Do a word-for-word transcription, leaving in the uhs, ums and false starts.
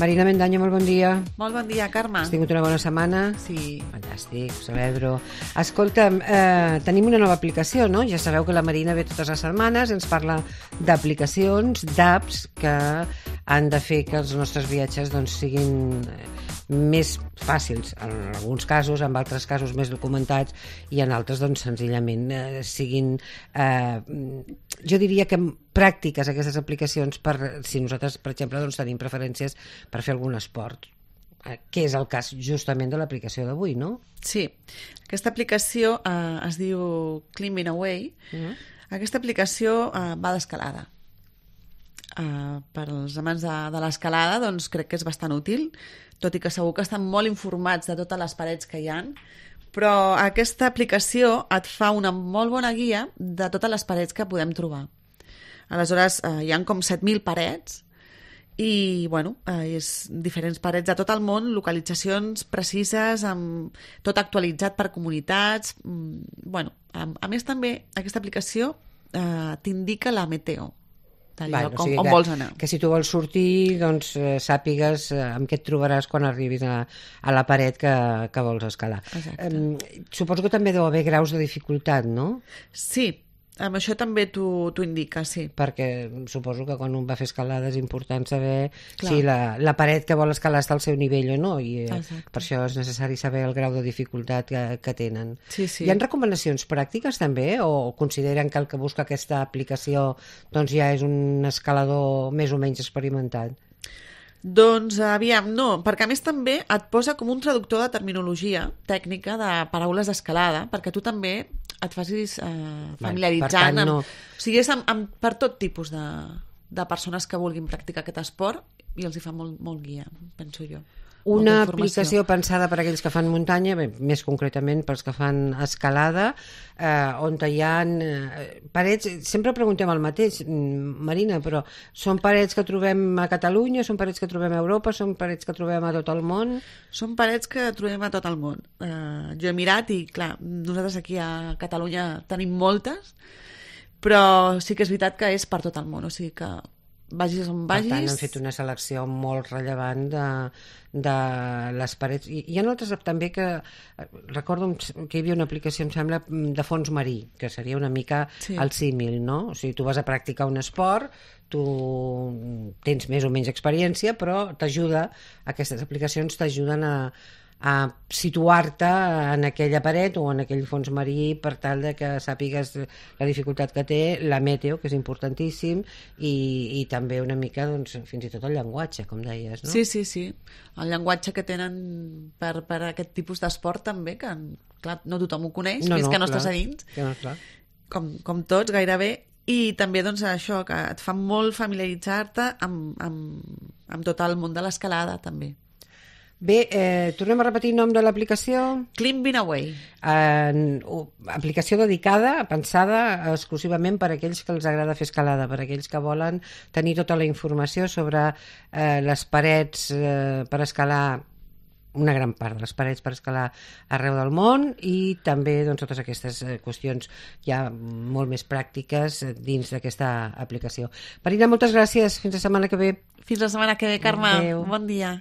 Marina Mendaño, molt bon dia. Molt bon dia, Carme. Has tingut una bona setmana? Sí. Fantàstic, ho celebro. Escolta'm, eh, tenim una nova aplicació, no? Ja sabeu que la Marina ve totes les setmanes, ens parla d'aplicacions, d'apps que han de fer que els nostres viatges doncs, siguin més fàcils, en alguns casos, en altres casos més documentats i en altres, doncs, senzillament eh, siguin, eh, jo diria que pràctiques aquestes aplicacions per, si nosaltres, per exemple, doncs, tenim preferències per fer algun esport, eh, que és el cas justament de l'aplicació d'avui, no? Sí, aquesta aplicació eh, es diu Climbing Away. Mm. Aquesta aplicació eh, va d'escalada. Uh, per als amants de, de l'escalada, doncs crec que és bastant útil, tot i que segur que estan molt informats de totes les parets que hi ha, però aquesta aplicació et fa una molt bona guia de totes les parets que podem trobar. Aleshores, uh, hi ha com set mil parets i, bueno, uh, és diferents parets de tot el món, localitzacions precises, amb tot actualitzat per comunitats. Mm, bueno, a, a més també aquesta aplicació uh, t'indica la meteo. Vale, com, o sigui on que, vols anar. Que si tu vols sortir, doncs eh, sàpigues eh, amb què et trobaràs quan arribis a, a la paret que, que vols escalar. Eh, suposo que també deu haver graus de dificultat, no? Sí, amb això també t'ho indica, sí. Perquè suposo que quan un va a fer escalada és important saber Clar. si la, la paret que vol escalar està al seu nivell o no, i eh, per això és necessari saber el grau de dificultat que, que tenen. Sí, sí. Hi ha recomanacions pràctiques també, o consideren que el que busca aquesta aplicació doncs ja és un escalador més o menys experimentat? Doncs, aviam, no, perquè a més també et posa com un traductor de terminologia tècnica de paraules d'escalada, perquè tu també et facis eh, familiaritzant. Tant, no... amb, o sigui, és amb, amb, per tot tipus de, de persones que vulguin practicar aquest esport i els hi fa molt, molt guia, penso jo. Una aplicació pensada per a aquells que fan muntanya, bé, més concretament pels que fan escalada, eh, on hi ha eh, parets, sempre preguntem el mateix, Marina, però són parets que trobem a Catalunya, són parets que trobem a Europa, són parets que trobem a tot el món? Són parets que trobem a tot el món. Eh, jo he mirat i, clar, nosaltres aquí a Catalunya tenim moltes, però sí que és veritat que és per tot el món, o sigui que vagis on vagis... Per tant, han fet una selecció molt rellevant de, de les parets. I hi ha altres també que... Recordo que hi havia una aplicació, em sembla, de fons marí, que seria una mica sí. el símil, no? O sigui, tu vas a practicar un esport, tu tens més o menys experiència, però t'ajuda, aquestes aplicacions t'ajuden a... a situar-te en aquella paret o en aquell fons marí per tal de que sàpigues la dificultat que té, la meteo, que és importantíssim, i, i també una mica, doncs, fins i tot el llenguatge, com deies, no? Sí, sí, sí. El llenguatge que tenen per, per aquest tipus d'esport també, que clar, no tothom ho coneix, no, fins no, que no clar, estàs a dins, no, clar. Com, com tots, gairebé, i també doncs, això, que et fa molt familiaritzar-te amb, amb, amb tot el món de l'escalada, també. Bé, eh, tornem a repetir el nom de l'aplicació. Climbing Away. Eh, aplicació dedicada, pensada exclusivament per a aquells que els agrada fer escalada, per a aquells que volen tenir tota la informació sobre eh, les parets eh, per escalar, una gran part de les parets per escalar arreu del món, i també doncs, totes aquestes eh, qüestions ja molt més pràctiques dins d'aquesta aplicació. Marina, moltes gràcies. Fins la setmana que ve. Fins la setmana que ve, Carme. Adéu. Bon dia.